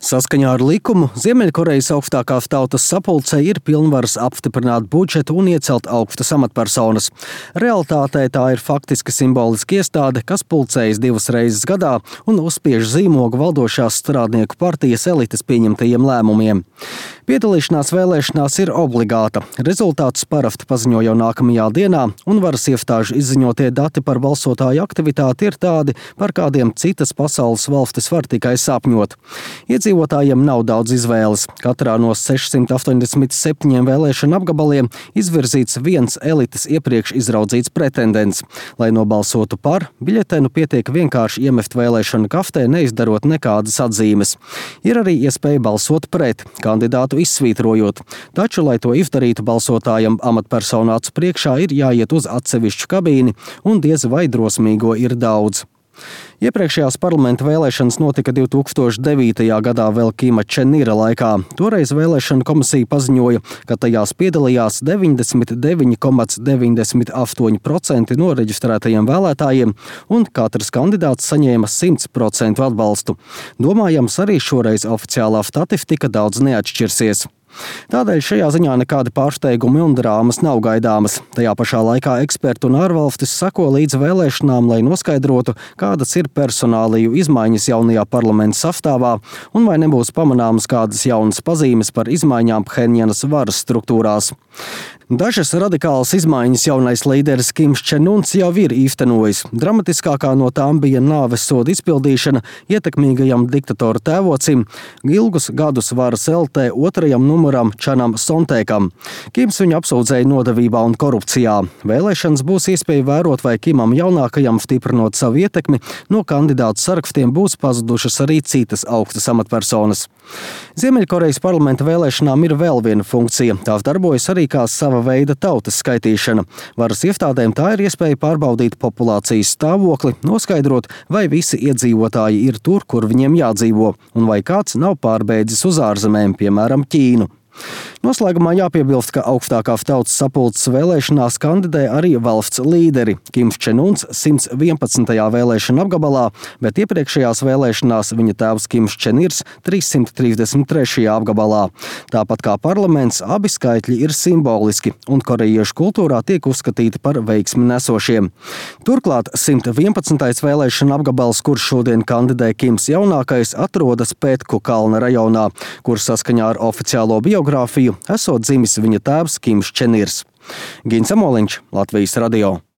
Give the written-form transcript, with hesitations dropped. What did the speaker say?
Saskaņā ar likumu Ziemeļkorejas augstākā tautas sapulcē ir pilnvaras apstiprināt budžetu un iecelt augstas amatpersonas. Realitātē tā ir faktiski simboliska iestāde, kas pulcējas 2 reizes gadā un uzspiež zīmogu valdošās strādnieku partijas elites pieņemtajiem lēmumiem. Piedalīšanās vēlēšanās ir obligāta. Rezultātus parasti paziņo jau nākamajā dienā, un varas iestāžu izziņotie dati par balsotāju aktivitāti ir tādi, par kādiem citas pasaules valstis var tikai sapņot. Iedzīvotājiem nav daudz izvēles. Katrā no 687 vēlēšanu apgabaliem izvirzīts viens elites iepriekš izraudzīts pretendents. Lai nobalsotu par, biļetenu pietiek vienkārši iemest vēlēšanu kaftē, neizdarot nekādas atzīmes. Ir arī iespēja balsot pret, kandidātu izsvītrojot. Taču, lai to izdarītu, balsotājam amatpersonu acu priekšā ir jāiet uz atsevišķu kabīni, un diez vai drosmīgo ir daudz. Iepriekšējās parlamenta vēlēšanas notika 2009. gadā vēl Kima Čen Ira laikā. Toreiz vēlēšanu komisija paziņoja, ka tajās piedalījās 99,98% no reģistrētajiem vēlētājiem, un katrs kandidāts saņēma 100% atbalstu. Domājams, arī šoreiz oficiālā statistika daudz neatšķirsies. Tādēļ šajā ziņā nekādi pārsteigumi un drāmas nav gaidāmas. Tajā pašā laikā eksperti un ārvalstis sako līdz vēlēšanām, lai noskaidrotu, kādas ir personāliju izmaiņas jaunajā parlamenta sastāvā un vai nebūs pamanāmas kādas jaunas pazīmes par izmaiņām Phenjanas varas struktūrās. Dažas radikālas izmaiņas jaunais līderis Kims Čen Uns jau ir īstenojis. Dramatiskākā no tām bija nāves soda izpildīšana ietekmīgajam diktatora tēvocim, ilgus gadus varas eltē otrajam numuram Čanam Sontēkam. Kims viņu apsūdzēja nodevībā un korupcijā. Vēlēšanas būs iespēja vērot, vai Kimam jaunākajam, stiprinot savu ietekmi, no kandidātu sarakstiem būs pazudušas arī citas augstas amatpersonas. Ziemeļkorejas parlamenta vēlēšanām ir vēl viena funkcija. Tās darbojas arī kā sava veida tautas skaitīšana. Varas iestādēm tā ir iespēja pārbaudīt populācijas stāvokli, noskaidrot, vai visi iedzīvotāji ir tur, kur viņiem jādzīvo, un vai kāds nav pārbēdzis uz ārzemēm, piemēram, Ķīnu. Noslēgumā jāpiebilst, ka augstākā tautas sapulces vēlēšanās kandidē arī valsts līderi. Kims Čen Uns 111. vēlēšana apgabalā, bet iepriekšējās vēlēšanās viņa tēvs Kims Čen Irs 333. apgabalā. Tāpat kā parlaments, abi skaitļi ir simboliski un korejiešu kultūrā tiek uzskatīti par veiksmi nesošiem. Turklāt 111. vēlēšana apgabals, kurš šodien kandidē Kims jaunākais, atrodas Pētku kalna rajonā, kur saskaņā ar oficiālo biogrāfiju esot dzimis viņa tēvs Kims Čen Irs. Gins Amoliņš, Latvijas radio.